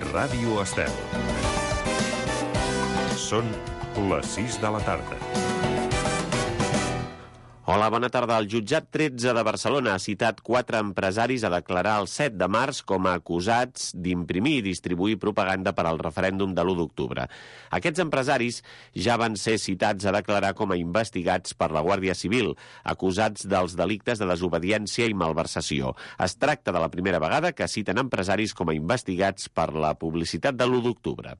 Ràdio Estel. Són les 6 de la tarda. Hola, bona tarda. El jutjat 13 de Barcelona ha citat 4 empresaris a declarar el 7 de març com a acusats d'imprimir i distribuir propaganda per al referèndum de l'1 d'octubre. Aquests empresaris ja van ser citats a declarar com a investigats per la Guàrdia Civil, acusats dels delictes de desobediència i malversació. Es tracta de la primera vegada que citen empresaris com a investigats per la publicitat de l'1 d'octubre.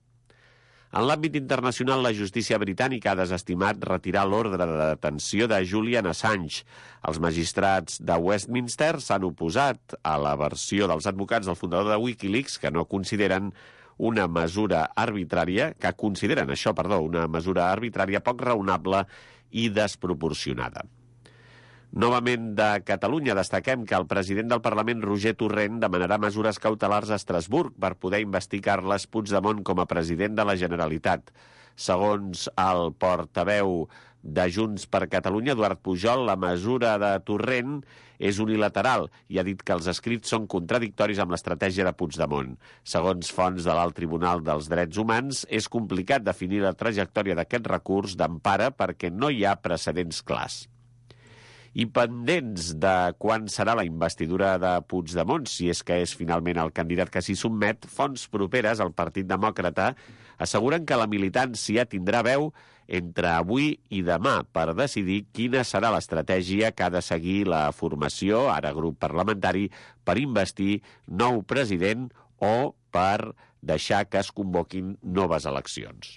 En l'àmbit internacional, la justícia britànica ha desestimat retirar l'ordre de detenció de Julian Assange. Els magistrats de Westminster s'han oposat a la versió dels advocats del fundador de Wikileaks, que consideren una mesura arbitrària poc raonable i desproporcionada. Novament de Catalunya, destaquem que el president del Parlament, Roger Torrent, demanarà mesures cautelars a Estrasburg per poder investigar Carles Puigdemont com a president de la Generalitat. Segons el portaveu de Junts per Catalunya, Eduard Pujol, la mesura de Torrent és unilateral i ha dit que els escrits són contradictoris amb l'estratègia de Puigdemont. Segons fonts de l'Alt Tribunal dels Drets Humans, és complicat definir la trajectòria d'aquest recurs d'empara perquè no hi ha precedents clars. I pendents de quan serà la investidura de Puigdemont, si és que és finalment el candidat que s'hi sotmet, fonts properes al Partit Demòcrata asseguren que la militància tindrà veu entre avui i demà per decidir quina serà l'estratègia que ha de seguir la formació, ara grup parlamentari, per investir nou president o per deixar que es convoquin noves eleccions.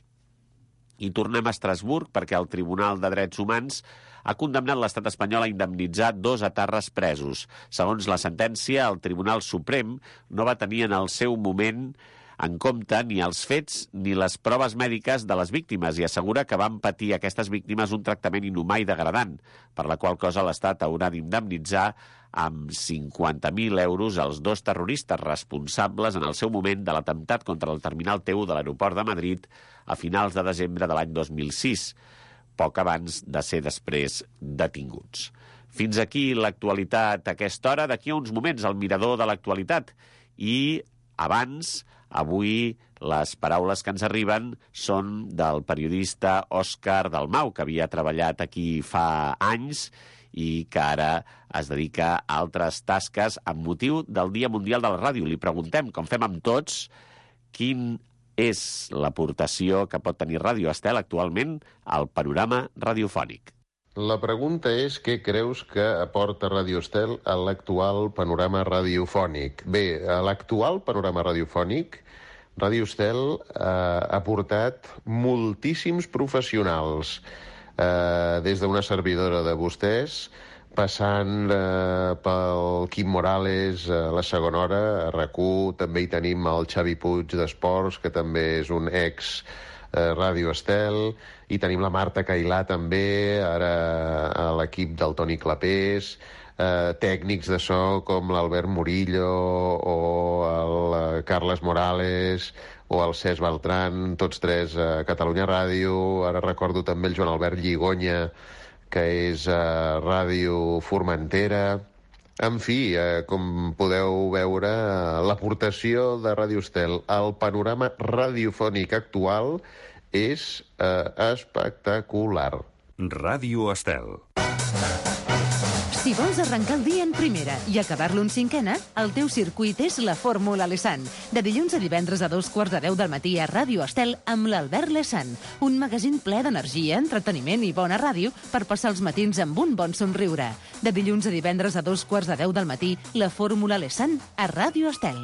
I tornem a Estrasburg perquè el Tribunal de Drets Humans ha condemnat l'estat espanyol a indemnitzar 2 etarres presos. Segons la sentència, el Tribunal Suprem no va tenir en el seu moment en compte ni els fets ni les proves mèdiques de les víctimes i assegura que van patir aquestes víctimes un tractament inhumà i degradant, per la qual cosa l'Estat haurà d'indemnitzar amb 50.000 euros els 2 terroristes responsables en el seu moment de l'atemptat contra el terminal T1 de l'aeroport de Madrid a finals de desembre de l'any 2006, poc abans de ser després detinguts. Fins aquí l'actualitat a aquesta hora. D'aquí a uns moments el mirador de l'actualitat. I abans, avui, les paraules que ens arriben són del periodista Òscar Dalmau, que havia treballat aquí fa anys i que ara es dedica a altres tasques amb motiu del Dia Mundial de la Ràdio. Li preguntem, com fem amb tots, quin és l'aportació que pot tenir Ràdio Estel actualment al panorama radiofònic. La pregunta és què creus que aporta Ràdio Estel a l'actual panorama radiofònic? Bé, a l'actual panorama radiofònic, Ràdio Estel ha portat moltíssims professionals, des d'una servidora de vostès, passant pel Quim Morales a la segona hora, a RAC1, també hi tenim el Xavi Puig d'Esports, que també és un ex Ràdio Estel, i tenim la Marta Cailà també, ara a l'equip del Toni Clapés, tècnics de so com l'Albert Murillo o el Carles Morales o el Cesc Beltran, tots 3 a Catalunya Ràdio. Ara recordo també el Joan Albert Lligonya, que és Ràdio Formentera. En fi, com podeu veure, l'aportació de Ràdio Estel al panorama radiofònic actual és espectacular. Ràdio Estel. Si vols arrencar el dia en primera i acabar-lo en cinquena, el teu circuit és la Fórmula Lesan. De dilluns a divendres a 2:45 del matí a Ràdio Estel amb l'Albert Lesan. Un magazín ple d'energia, entreteniment i bona ràdio per passar els matins amb un bon somriure. De dilluns a divendres a 2:15 del matí, la Fórmula Lesan a Ràdio Estel.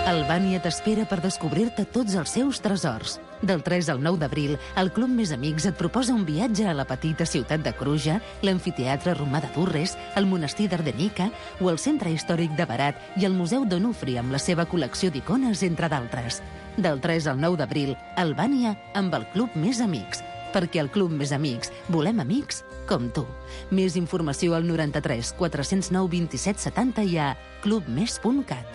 Albània t'espera per descobrir-te tots els seus tresors. Del 3 al 9 d'abril, el Club Més Amics et proposa un viatge a la petita ciutat de Cruja, l'amfiteatre romà de Durres, el monestir d'Ardenica o el centre històric de Berat i el Museu d'Onufri amb la seva col·lecció d'icones, entre d'altres. Del 3 al 9 d'abril, Albània amb el Club Més Amics. Perquè al Club Més Amics volem amics com tu. Més informació al 93 409 27 70 i a clubmes.cat.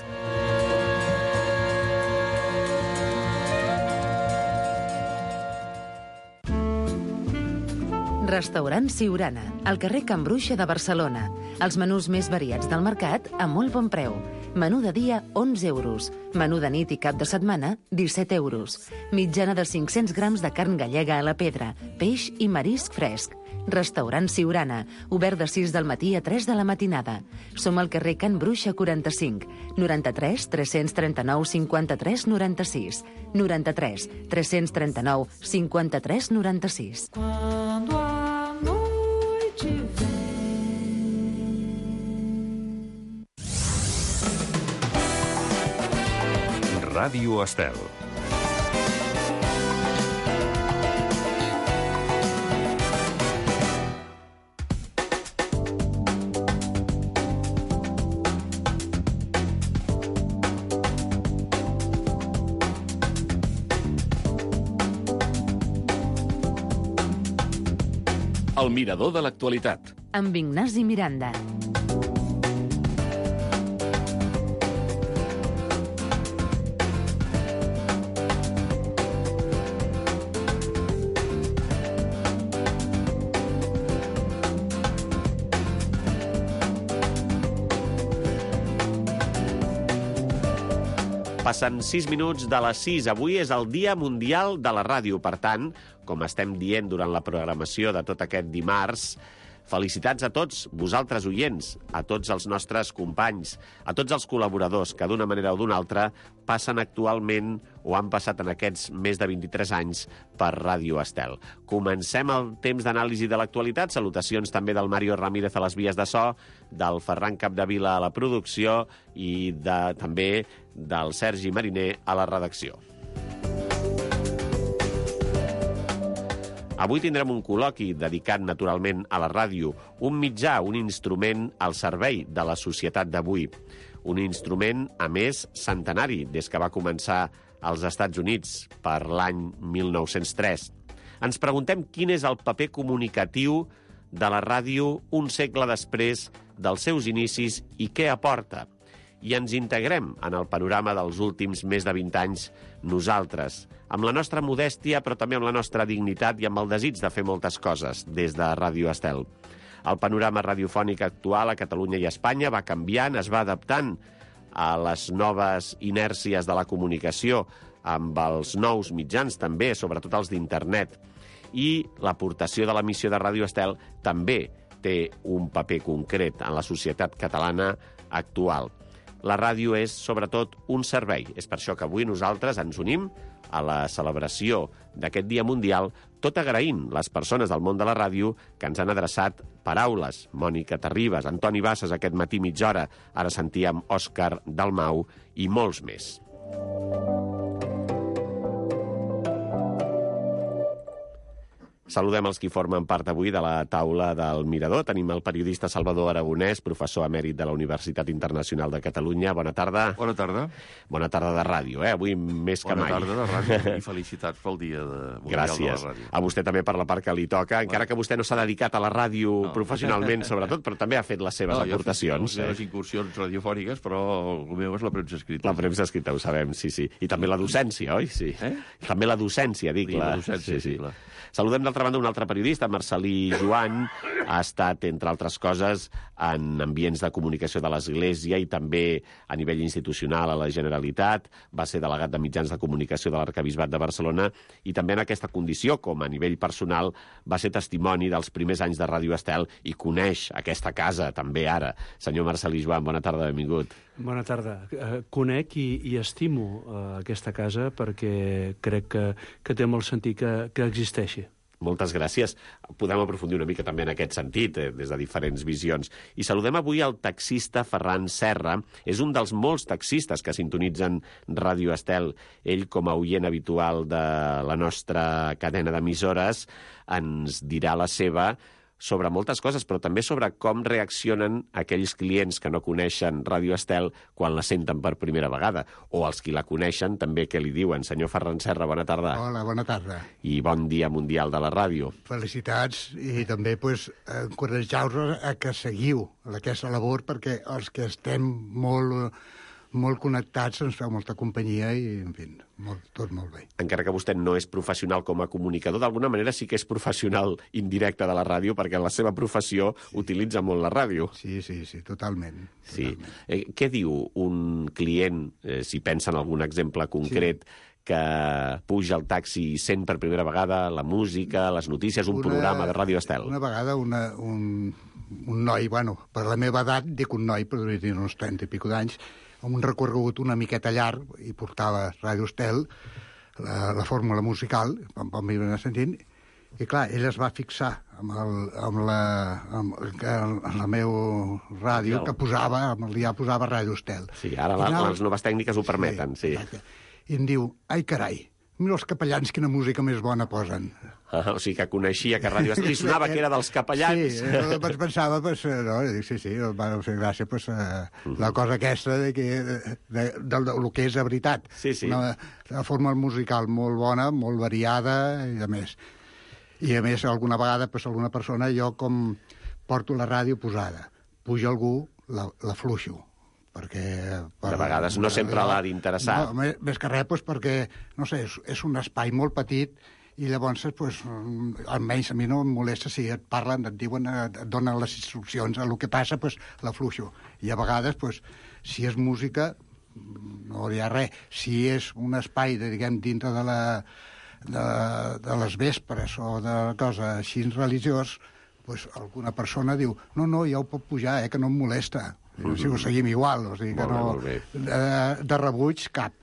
Restaurant Siurana, al carrer Can Bruixa de Barcelona. Els menús més variats del mercat a molt bon preu. Menú de dia, 11 euros. Menú de nit i cap de setmana, 17 euros. Mitjana de 500 grams de carn gallega a la pedra, peix i marisc fresc. Restaurant Siurana, obert de 6 del matí a 3 de la matinada. Som al carrer Can Bruixa 45, 93 339 53 96, 93 339 53 96. Quando a noite Ràdio Estel. El mirador de l'actualitat. Amb Ignasi Miranda. Passen 6 minuts de les 6. Avui és el Dia Mundial de la Ràdio. Per tant, com estem dient durant la programació de tot aquest dimarts, felicitats a tots vosaltres oients, a tots els nostres companys, a tots els col·laboradors que d'una manera o d'una altra passen actualment o han passat en aquests més de 23 anys per Ràdio Estel. Comencem el temps d'anàlisi de l'actualitat. Salutacions també del Mario Ramírez a les vies de so, del Ferran Capdevila a la producció i també del Sergi Mariner a la redacció. Avui tindrem un col·loqui dedicat naturalment a la ràdio, un mitjà, un instrument al servei de la societat d'avui. Un instrument, a més, centenari, des que va començar als Estats Units per l'any 1903. Ens preguntem quin és el paper comunicatiu de la ràdio un segle després dels seus inicis i què aporta. I ens integrem en el panorama dels últims més de 20 anys nosaltres, amb la nostra modèstia, però també amb la nostra dignitat i amb el desig de fer moltes coses des de Ràdio Estel. El panorama radiofònic actual a Catalunya i a Espanya va canviant, es va adaptant a les noves inèrcies de la comunicació, amb els nous mitjans també, sobretot els d'internet. I l'aportació de l'emissió de Ràdio Estel també té un paper concret en la societat catalana actual. La ràdio és, sobretot, un servei. És per això que avui nosaltres ens unim a la celebració d'aquest Dia Mundial, tot agraint les persones del món de la ràdio que ens han adreçat paraules. Mònica Terribas, Antoni Bassas aquest matí mitja hora, ara sentíem Òscar Dalmau i molts més. Saludem els qui formen part avui de la taula del Mirador. Tenim el periodista Salvador Aragonès, professor emèrit de la Universitat Internacional de Catalunya. Bona tarda. Bona tarda. Bona tarda de ràdio, Avui més que mai. Bona tarda de ràdio i felicitats pel Dia Mundial de la Ràdio. A vostè també per la part que li toca, encara que vostè no s'ha dedicat a la ràdio professionalment, sobretot, però també ha fet les seves aportacions. Jo he fet incursions radiofòniques, però el meu és la premsa escrita. La premsa escrita, ho sabem, sí. I també la docència, oi? Sí. També la docència, dic. La docència, sí. Saludem d'altra banda un altre periodista, Marcelí Joan. Ha estat, entre altres coses, en ambients de comunicació de l'Església i també a nivell institucional a la Generalitat. Va ser delegat de mitjans de comunicació de l'Arquebisbat de Barcelona i també en aquesta condició, com a nivell personal, va ser testimoni dels primers anys de Ràdio Estel i coneix aquesta casa també ara. Senyor Marcelí Joan, bona tarda, benvingut. Bona tarda. Conec i estimo aquesta casa perquè crec que té molt sentit que existeixi. Moltes gràcies. Podem aprofundir una mica també en aquest sentit, des de diferents visions. I saludem avui el taxista Ferran Serra. És un dels molts taxistes que sintonitzen Ràdio Estel. Ell, com a oient habitual de la nostra cadena d'emissores, ens dirà la seva sobre moltes coses, però també sobre com reaccionen aquells clients que no coneixen Ràdio Estel quan la senten per primera vegada, o els qui la coneixen també què li diuen. Senyor Ferran Serra, bona tarda. Hola, bona tarda. I bon Dia Mundial de la Ràdio. Felicitats i també encoratjar-vos a que seguiu aquesta labor perquè els que estem molt connectats, ens feu molta companyia i, en fi, tot molt bé. Encara que vostè no és professional com a comunicador, d'alguna manera sí que és professional indirecte de la ràdio, perquè en la seva professió utilitza molt la ràdio. Sí, totalment. Sí. Què diu un client, si pensa en algun exemple concret, que puja al taxi i sent per primera vegada la música, les notícies, un programa de Ràdio Estel? Una vegada un noi, bueno, per la meva edat, dic un noi, però devia tenir uns 30 i pico d'anys, amb un recorregut una miqueta llarg, i portava Ràdio Estel, la fórmula musical, quan m'hi anar sentint, i clar, ell es va fixar amb la meva ràdio, que posava, amb el dia posava Ràdio Estel. Sí, ara les noves tècniques ho permeten, sí. I em diu, ai carai, mira els capellans quina música més bona posen. O sigui que coneixia que Ràdio Estel li sonava que era dels capellans. Sí, pensava, no, dic, sí, em va fer gràcia, la cosa aquesta del que és de veritat. Sí. Una forma musical molt bona, molt variada, i a més, alguna vegada, alguna persona, jo com porto la ràdio posada, puja algú, la fluixo, perquè... De vegades no sempre l'ha d'interessar. No, més que res, perquè, no sé, és un espai molt petit i llavors, almenys a mi no em molesta si et parlen, et diuen, et donen les instruccions, el que passa, la fluixo. I a vegades, si és música, no hi ha res. Si és un espai, diguem, dintre de les vespres o de cosa així religiós, alguna persona diu, no, ja ho pot pujar, que no em molesta. Si ho seguim igual, o sigui que no... De rebuig, cap.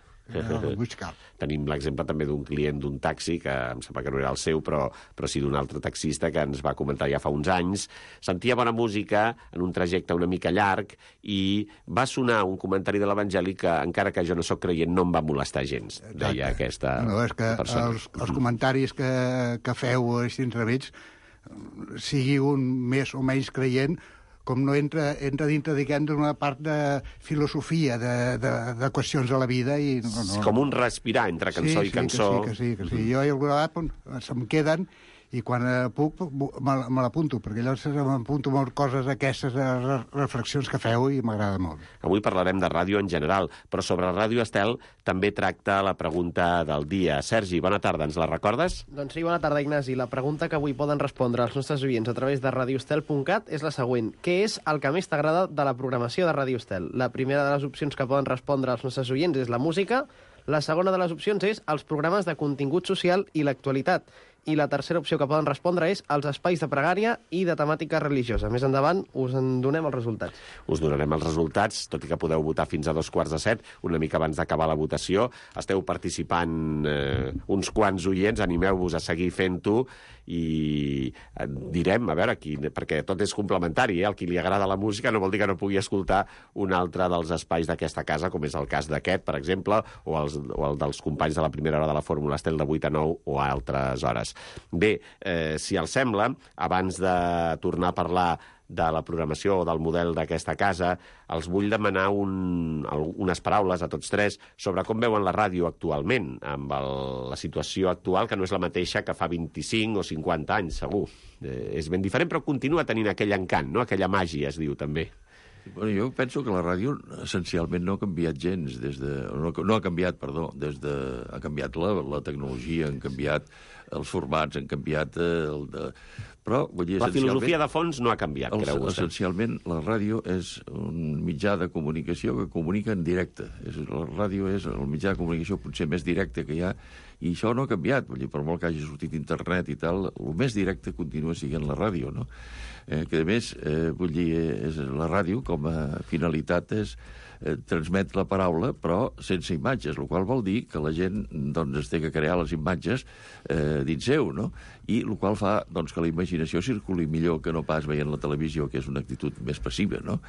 Tenim l'exemple també d'un client d'un taxi, que em sembla que no era el seu, però sí d'un altre taxista que ens va comentar ja fa uns anys. Sentia bona música en un trajecte una mica llarg i va sonar un comentari de l'Evangeli que, encara que jo no sóc creient, no em va molestar gens, deia aquesta persona. Els comentaris que feu així entremig, sigui un més o menys creient, com no entra dintre, diguem, d'una part de filosofia, de qüestions de la vida. Com un respirar entre cançó i cançó. Sí. Jo alguna vegada se'm queden i quan puc me l'apunto, perquè llavors m'apunto molt coses d'aquestes reflexions que feu i m'agrada molt. Avui parlarem de ràdio en general, però sobre Ràdio Estel també tracta la pregunta del dia. Sergi, bona tarda, ens la recordes? Doncs sí, bona tarda, Ignasi. La pregunta que avui poden respondre els nostres oients a través de radioestel.cat és la següent. Què és el que més t'agrada de la programació de Ràdio Estel? La primera de les opcions que poden respondre els nostres oients és la música, la segona de les opcions és els programes de contingut social i l'actualitat, i la tercera opció que poden respondre és els espais de pregària i de temàtica religiosa. Més endavant us en donem els resultats. Us donarem els resultats, tot i que podeu votar fins a 2:45, una mica abans d'acabar la votació. Esteu participant uns quants oients, animeu-vos a seguir fent-ho i direm, a veure, perquè tot és complementari, el qui li agrada la música no vol dir que no pugui escoltar un altre dels espais d'aquesta casa, com és el cas d'aquest, per exemple, o el dels companys de la primera hora de la Fórmula Estel de 8 a 9 o a altres hores. Bé, si els sembla, abans de tornar a parlar de la programació o del model d'aquesta casa, els vull demanar unes paraules a tots tres sobre com veuen la ràdio actualment, amb la situació actual, que no és la mateixa que fa 25 o 50 anys, segur. És ben diferent, però continua tenint aquell encant, no? Aquella màgia, es diu, també. Bueno, jo penso que la ràdio essencialment no ha canviat gens, ha canviat la tecnologia, han canviat els formats, han canviat però, vull dir, la filosofia de fons no ha canviat, creu vostè? Essencialment, la ràdio és un mitjà de comunicació que comunica en directe. La ràdio és el mitjà de comunicació potser més directe que hi ha, i això no ha canviat. Vull dir, per molt que hagi sortit internet i tal, el més directe continua sent la ràdio, no? Que, a més, vull dir, la ràdio, com a finalitat, és transmet la paraula, però sense imatges, el qual vol dir que la gent es té que crear les imatges dins seu, no? I el qual fa que la imaginació circuli millor que no pas veient la televisió, que és una actitud més passiva, no?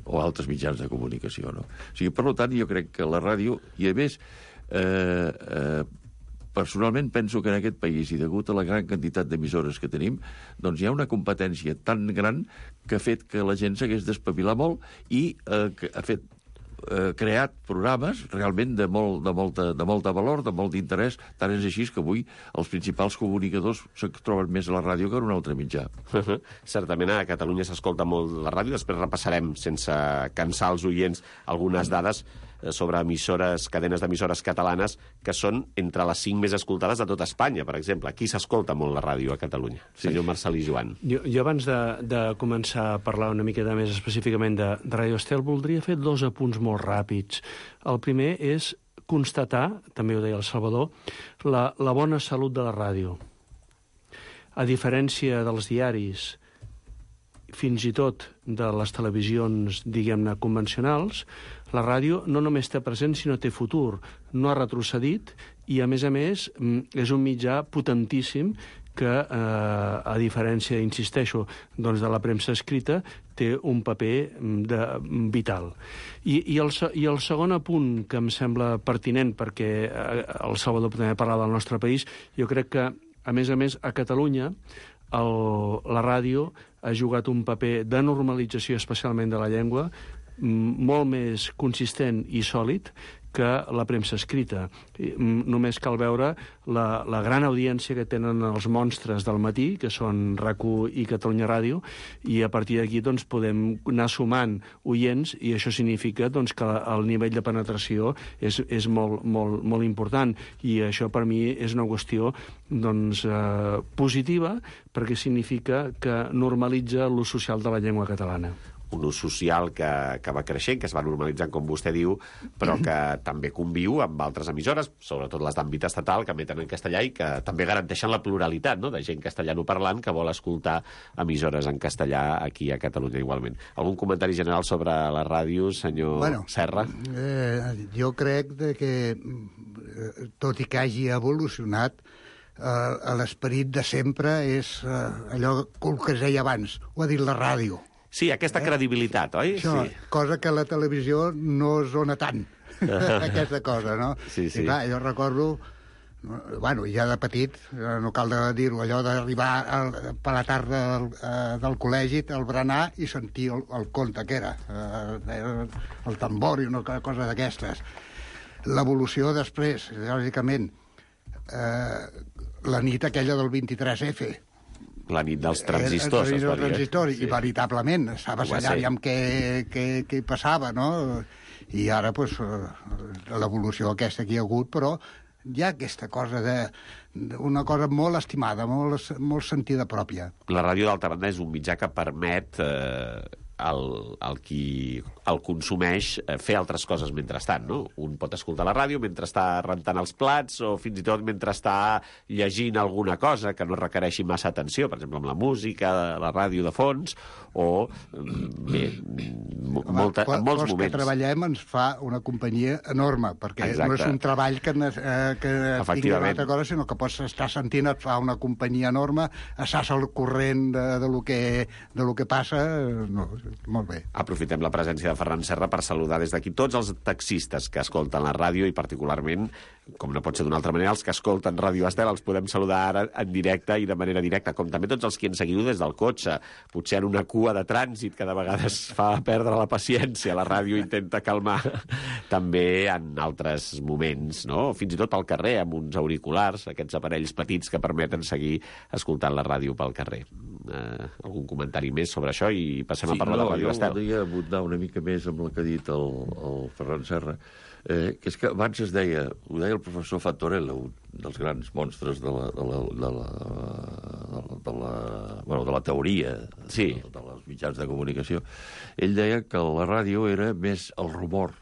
O altres mitjans de comunicació, no? O sigui, per tant, jo crec que la ràdio, i a més, personalment penso que en aquest país, i degut a la gran quantitat d'emissores que tenim, doncs hi ha una competència tan gran que ha fet que la gent s'hagués d'espavilar molt i ha creat programes realment de molta valor, de molt d'interès. Tant és així que avui els principals comunicadors se troben més a la ràdio que en un altre mitjà. Certament a Catalunya s'escolta molt la ràdio, després repassarem, sense cansar els oients, algunes dades. sobre cadenes d'emissores catalanes, que són entre les 5 més escoltades de tot Espanya, per exemple. Aquí s'escolta molt la ràdio a Catalunya. Senyor Marcelí Joan. Jo abans de començar a parlar una miqueta més específicament de Ràdio Estel, voldria fer 2 apunts molt ràpids. El primer és constatar, també ho deia el Salvador, la bona salut de la ràdio. A diferència dels diaris, fins i tot de les televisions, diguem-ne, convencionals, la ràdio no només té present, sinó té futur. No ha retrocedit i, a més, és un mitjà potentíssim que, a diferència, insisteixo, doncs de la premsa escrita, té un paper vital. I el segon apunt que em sembla pertinent, perquè el Salvador també parlava del nostre país, jo crec que, a més, a Catalunya, la ràdio ha jugat un paper de normalització, especialment de la llengua, molt més consistent i sòlid que la premsa escrita. Només cal veure la gran audiència que tenen els monstres del matí, que són RAC1 i Catalunya Ràdio, i a partir d'aquí doncs, podem anar sumant oients, i això significa doncs, que el nivell de penetració és molt important. I això per mi és una qüestió doncs, positiva, perquè significa que normalitza l'ús social de la llengua catalana. Un ús social que va creixent, que es va normalitzant, com vostè diu, però que també conviu amb altres emissores, sobretot les d'àmbit estatal, que emeten en castellà i que també garanteixen la pluralitat, no?, de gent castellanoparlant que vol escoltar emissores en castellà aquí a Catalunya igualment. Algun comentari general sobre la ràdio, senyor Serra? Jo crec que, tot i que hagi evolucionat, l'esperit de sempre és allò que es deia abans, ho ha dit la ràdio. Sí, aquesta credibilitat, oi? Això, sí. Cosa que la televisió no es dona tant, aquesta cosa, no? Sí. I clar, jo recordo, ja de petit, no cal dir-ho, allò d'arribar per la tarda del col·legi, al berenar, i sentir el conte que era, el tambor i una cosa d'aquestes. L'evolució després, lògicament, la nit aquella del 23F, la nit dels transistors, es va dir. I veritablement, estaves allà aviam què passava, no? I ara, doncs, l'evolució aquesta que hi ha hagut, però hi ha aquesta cosa una cosa molt estimada, molt sentida pròpia. La ràdio, d'altra banda, és un mitjà que permet el qui el consumeix fer altres coses mentrestant, no? Un pot escoltar la ràdio mentre està rentant els plats o fins i tot mentre està llegint alguna cosa que no requereixi massa atenció, per exemple, amb la música, la ràdio de fons, o bé, en molts moments. Els que treballem ens fa una companyia enorme, perquè no és un treball que tingui una altra cosa, sinó que pots estar sentint, et fa una companyia enorme, estàs al corrent de lo que passa, molt bé. Aprofitem la presència de Ferran Serra per saludar des d'aquí tots els taxistes que escolten la ràdio i particularment, com no pot ser d'una altra manera, els que escolten Ràdio Estel els podem saludar ara en directe i de manera directa, com també tots els que ens seguiu des del cotxe, potser en una cua de trànsit que de vegades fa perdre la paciència, la ràdio intenta calmar, també en altres moments, no? Fins i tot al carrer, amb uns auriculars, aquests aparells petits que permeten seguir escoltant la ràdio pel carrer. Algun comentari més sobre això i passem a parlar de Ràdio Estel. Jo voldria abundar una mica més amb el que ha dit el Ferran Serra, que és que abans ho deia el professor Fattorella, un dels grans monstres de la teoria de les mitjans de comunicació. Ell deia que la ràdio era més el rumor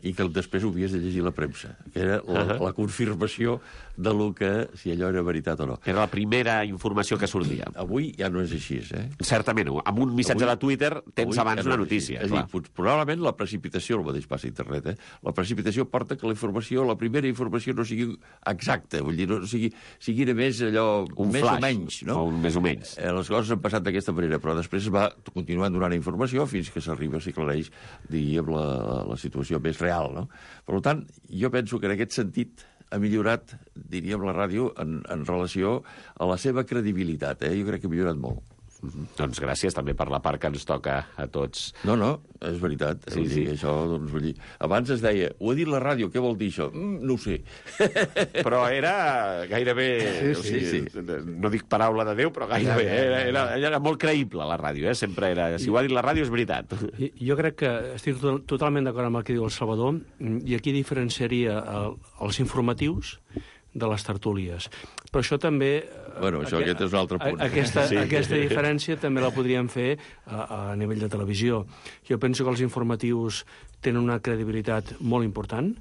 i que després ho havies de llegir la premsa, que era la confirmació de lo que, si allò era veritat o no. Era la primera informació que sortia. Avui ja no és així, Certament, amb un missatge de Twitter tens abans una notícia. És a dir, probablement la precipitació, el mateix passa a internet, la precipitació porta que la informació, la primera informació no sigui exacta, vull dir, no sigui més allò, un més flash, o menys, no? O més o menys. Les coses han passat d'aquesta manera, però després es va continuant donant informació fins que s'arriba, s'aclareix, diríem, la situació més real, no? Per tant, jo penso que en aquest sentit ha millorat, diríem, la ràdio en relació a la seva credibilitat. Jo crec que ha millorat molt. Doncs gràcies també per la part que ens toca a tots. No, és veritat. Sí, sí. Això, doncs, vull dir, abans es deia, ho ha dit la ràdio, què vol dir això? No ho sé. Però era gairebé... Sí. No dic paraula de Déu, però gairebé. Era molt creïble, la ràdio. Sempre era... Si ho ha dit la ràdio, és veritat. Jo crec que estic totalment d'acord amb el que diu el Salvador, i aquí diferenciaria els informatius de les tertúlies. Però això també... Bueno, aquest és un altre punt. Aquesta diferència també la podríem fer a nivell de televisió. Jo penso que els informatius tenen una credibilitat molt important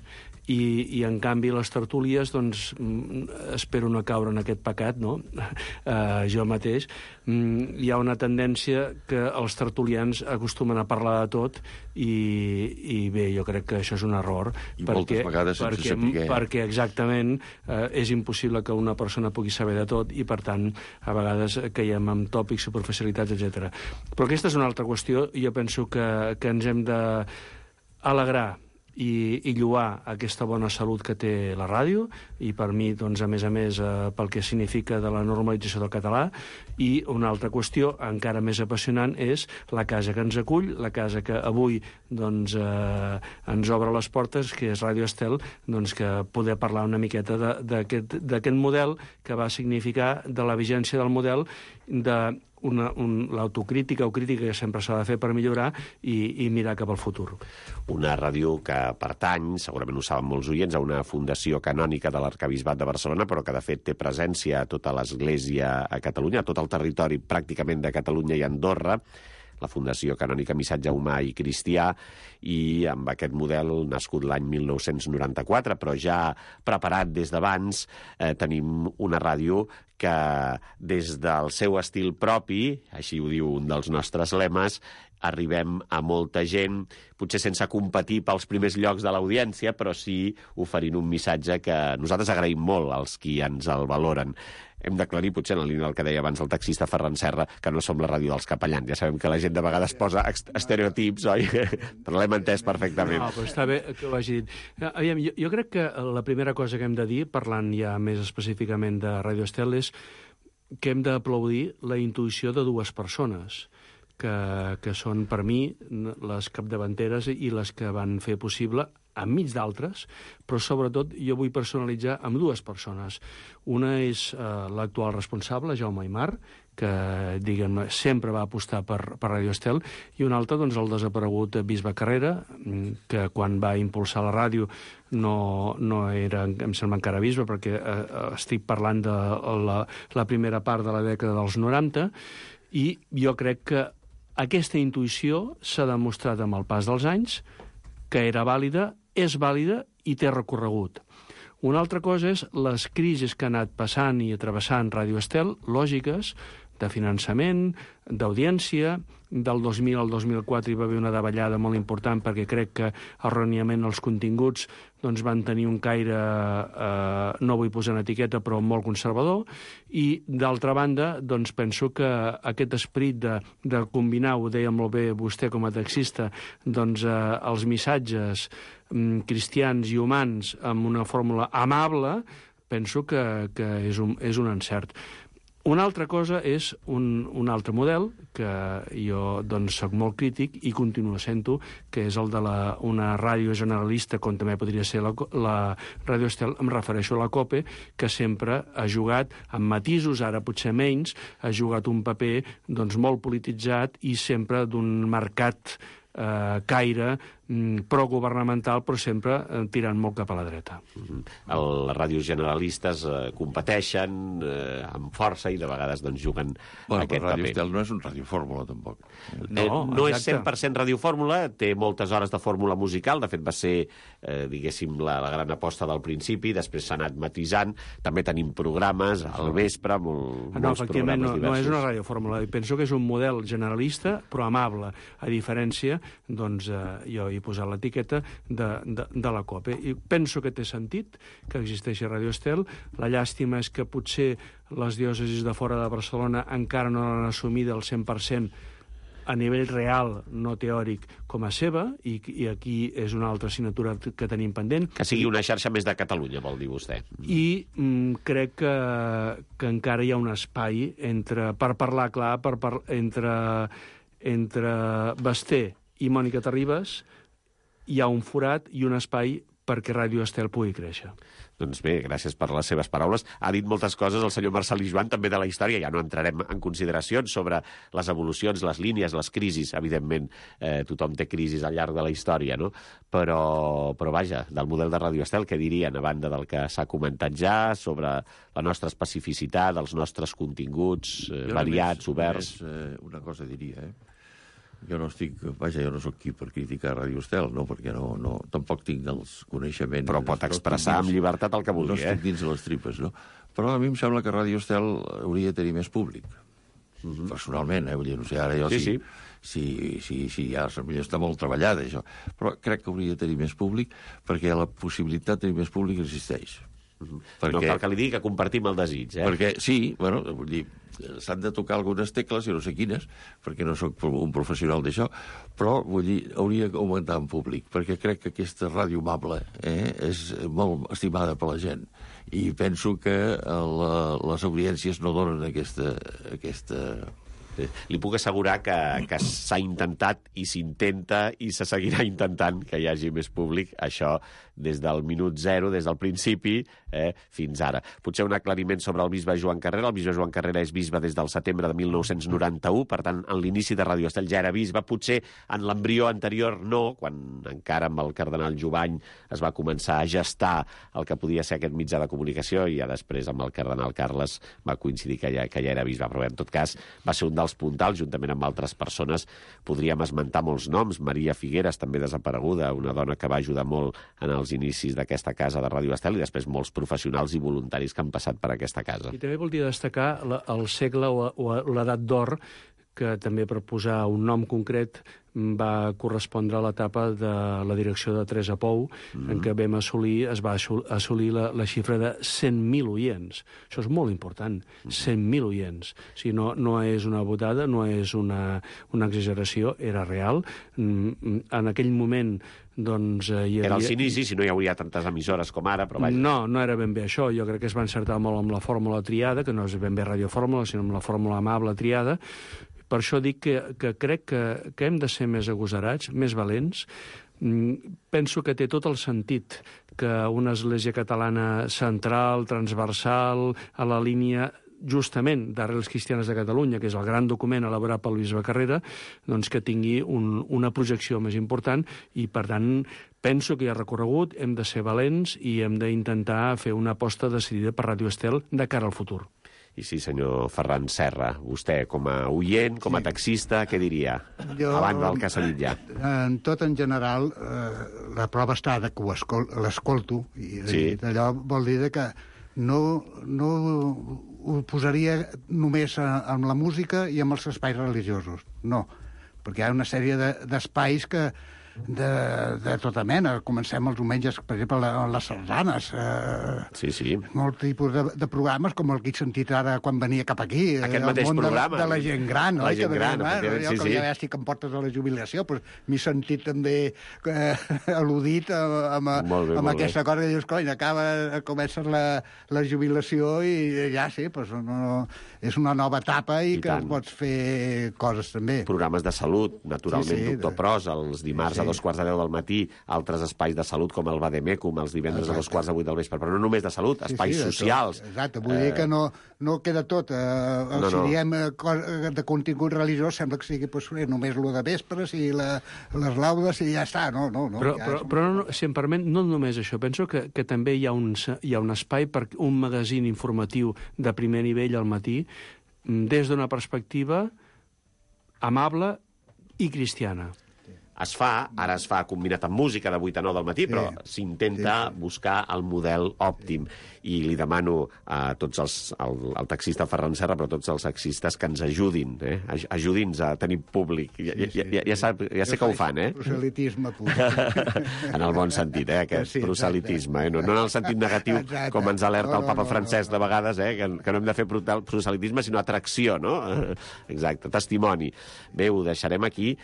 i en canvi les tertúlies, doncs, espero no caure en aquest pecat, no? Jo mateix. Hi ha una tendència que els tertulians acostumen a parlar de tot i bé, jo crec que això és un error. I moltes vegades sense saber. Perquè exactament és impossible que una persona pugui saber de tot i, per tant, a vegades caiem en tòpics, superficialitats, etc. Però aquesta és una altra qüestió i jo penso que ens hem d'alegrar i lloar aquesta bona salut que té la ràdio i per mi, doncs, a més, pel que significa de la normalització del català. I una altra qüestió encara més apassionant és la casa que ens acull, la casa que avui doncs, ens obre les portes, que és Ràdio Estel, doncs, que poder parlar una miqueta d'aquest model que va significar, de la vigència del model, de l'autocrítica o crítica que sempre s'ha de fer per millorar i mirar cap al futur. Una ràdio que pertany, segurament ho saben molts oients, a una fundació canònica de l'Arquebisbat de Barcelona, però que de fet té presència a tota l'Església a Catalunya, a tot el territori pràcticament de Catalunya i Andorra, la Fundació Canònica Missatge Humà i Cristià, i amb aquest model nascut l'any 1994, però ja preparat des d'abans, tenim una ràdio que des del seu estil propi, així ho diu un dels nostres lemes, arribem a molta gent, potser sense competir pels primers llocs de l'audiència, però sí oferint un missatge que nosaltres agraïm molt als qui ens el valoren. Hem d'aclarir, potser en la línia del que deia abans el taxista Ferran Serra, que no som la ràdio dels capellans. Ja sabem que la gent de vegades posa estereotips, oi? Però l'hem entès perfectament. No, però està bé que ho hagi dit. Aviam, jo crec que la primera cosa que hem de dir, parlant ja més específicament de Ràdio Estel, és que hem d'aplaudir la intuïció de dues persones, que són, per mi, les capdavanteres i les que van fer possible, enmig d'altres, però sobretot jo vull personalitzar amb dues persones. Una és l'actual responsable, Jaume Aymar, que, diguem, sempre va apostar per Ràdio Estel, i un altre, doncs, el desaparegut Bisbe Carrera, que quan va impulsar la ràdio no era, em sembla, encara bisbe, perquè estic parlant de la primera part de la dècada dels 90, i jo crec que aquesta intuïció s'ha demostrat amb el pas dels anys que era vàlida, és vàlida i té recorregut. Una altra cosa és les crisis que ha anat passant i travessant Ràdio Estel, lògiques, de finançament, d'audiència. Del 2000 al 2004 hi va haver una davallada molt important perquè crec que erròniament els continguts doncs, van tenir un caire, no vull posar una etiqueta, però molt conservador, i d'altra banda doncs, penso que aquest esperit de combinar, ho deia molt bé vostè com a taxista, doncs, els missatges cristians i humans amb una fórmula amable, penso que és un encert. Una altra cosa és un altre model, que jo doncs, soc molt crític i continuo sent-ho, que és el de una ràdio generalista, com també podria ser la Ràdio Estel, em refereixo a la COPE, que sempre ha jugat, amb matisos, ara potser menys, ha jugat un paper doncs, molt polititzat i sempre d'un marcat caire progovernamental, però sempre tirant molt cap a la dreta. Les ràdios generalistes competeixen amb força i de vegades doncs, juguen aquest paper. Ràdio Estel no és un radiofórmula, tampoc. No és 100% radiofórmula, té moltes hores de fórmula musical, de fet va ser, diguéssim, la gran aposta del principi, després s'ha anat matisant, també tenim programes al vespre, molts efectivament, programes diversos. No és una radiofórmula, penso que és un model generalista, però amable, a diferència, doncs, jo he posat l'etiqueta de la COPE. I penso que té sentit que existeixi Ràdio Estel. La llàstima és que potser les diòcesis de fora de Barcelona encara no l'han assumida al 100% a nivell real, no teòric, com a seva, i aquí és una altra assignatura que tenim pendent. Que sigui una xarxa més de Catalunya, vol dir vostè. I crec que encara hi ha un espai per parlar clar, entre Basté i Mònica Terribas, hi ha un forat i un espai perquè Ràdio Estel pugui créixer. Doncs bé, gràcies per les seves paraules. Ha dit moltes coses el senyor Marcel·lí Joan, també de la història. Ja no entrarem en consideracions sobre les evolucions, les línies, les crisis. Evidentment, tothom té crisis al llarg de la història, no? Però vaja, del model de Ràdio Estel, què dirien, a banda del que s'ha comentat ja, sobre la nostra especificitat, els nostres continguts variats, oberts? Una cosa diria, jo no soc qui per criticar Ràdio Estel, no, perquè tampoc tinc els coneixements. Però pot expressar amb llibertat el que vulgui, No estic dins de les tripes, no? Però a mi em sembla que Ràdio Estel hauria de tenir més públic. Personalment, vull dir, no sé, ara jo sí, ja està molt treballada, això. Però crec que hauria de tenir més públic, perquè la possibilitat de tenir més públic existeix. Perquè... No cal que li digui que compartim el desig, Perquè sí, vull dir, s'han de tocar algunes tecles, i no sé quines, perquè no sóc un professional d'això, però, vull dir, hauria d'augmentar en públic, perquè crec que aquesta ràdio amable és molt estimada per la gent, i penso que les audiències no donen aquesta... Li puc assegurar que s'ha intentat i s'intenta i se seguirà intentant que hi hagi més públic, això des del minut zero, des del principi, fins ara. Potser un aclariment sobre el bisbe Joan Carrera. El bisbe Joan Carrera és bisbe des del setembre de 1991, per tant, en l'inici de Ràdio Estel ja era bisbe. Potser en l'embrió anterior no, quan encara amb el cardenal Jovany es va començar a gestar el que podia ser aquest mitjà de comunicació, i ja després amb el cardenal Carles va coincidir que ja era bisbe, però en tot cas va ser un dels puntals, juntament amb altres persones. Podríem esmentar molts noms. Maria Figueres, també desapareguda, una dona que va ajudar molt en els inicis d'aquesta casa de Ràdio Estel, i després molts professionals i voluntaris que han passat per aquesta casa. I també voldria destacar el segle o l'edat d'or, que també, per posar un nom concret, va correspondre a l'etapa de la direcció de Teresa Pou, en què es va assolir la xifra de 100.000 oients. Això és molt important, 100.000 oients. O sigui, no és una botada, no és una exageració, era real. En aquell moment hi havia... Era els inicis, si no hi hauria tantes emissores com ara, però vaja. No era ben bé això. Jo crec que es va encertar molt amb la fórmula triada, que no és ben bé radiofórmula, sinó amb la fórmula amable triada. Per això dic que crec que hem de ser més agosarats, més valents. Penso que té tot el sentit que una església catalana central, transversal, a la línia justament d'Arrels Cristianes de Catalunya, que és el gran document elaborat pel bisbe Carrera, doncs que tingui una projecció més important, i per tant penso que hi ha recorregut, hem de ser valents i hem d'intentar fer una aposta decidida per Ràdio Estel de cara al futur. I sí, senyor Ferran Serra, vostè com a oient, com a taxista, què diria? Abans del que s'ha dit ja. En tot, en general, la prova està que l'escolto, i allò vol dir que no ho posaria només amb la música i amb els espais religiosos. No, perquè hi ha una sèrie d'espais de tota mena. Comencem els diumenges, per exemple, les sardanes. Sí. Molt tipus de programes, com el que he sentit ara quan venia cap aquí. Aquest mateix programa. De la gent gran. La gent gran, jo que ja estic en portes de la jubilació, m'he sentit també al·ludit amb aquesta cosa que dius, cony, comences la jubilació i ja sí, és una nova etapa i que pots fer coses també. Programes de salut, naturalment, Doctor Pros, els dimarts a 2:15 del matí, altres espais de salut com el Vademecum, els divendres a 2:45 del vespre, però no només de salut, espais socials. Exacte, vull dir que no queda tot. Si diem de contingut religiós, sembla que sigui només lo de vespres i les laudes i ja està. Però si em permet, no només això. Penso que també hi ha un espai per un magazín informatiu de primer nivell al matí, des d'una perspectiva amable i cristiana. es fa, ara es fa combinat amb música de 8 a 9 del matí, però s'intenta buscar el model òptim. I li demano a tots al taxista Ferran Serra, però a tots els taxistes que ens ajudin, ajudi'ns a tenir públic. Ja sé que ho fan, Proselitisme pur. En el bon sentit, aquest proselitisme. No en el sentit negatiu, com ens alerta el papa Francesc de vegades, que no hem de fer proselitisme, sinó atracció, no? Exacte, testimoni. Bé, ho deixarem aquí,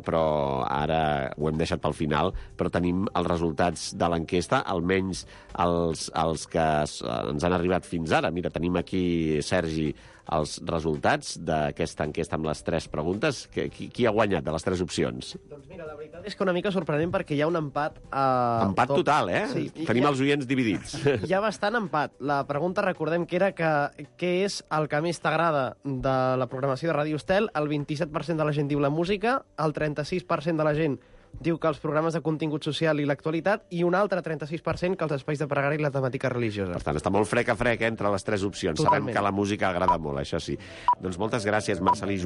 però ara ho hem deixat pel final, però tenim els resultats de l'enquesta, almenys els que ens han arribat fins ara. Mira, tenim aquí, Sergi, els resultats d'aquesta enquesta amb les 3 preguntes. Qui ha guanyat de les 3 opcions? Doncs mira, la veritat és que una mica sorprenent perquè hi ha un empat... Empat total, Sí. Tenim els oients dividits. Hi ha bastant empat. La pregunta, recordem, que era què és el que més t'agrada de la programació de Ràdio Estel. El 27% de la gent diu la música, el 36% de la gent diu que els programes de contingut social i l'actualitat, i un altre 36% que els espais de pregària i la temàtica religiosa. Per tant, està molt frec a frec entre les 3 opcions. Totalment. Sabem que la música agrada molt, això sí. Doncs moltes gràcies, Marcelí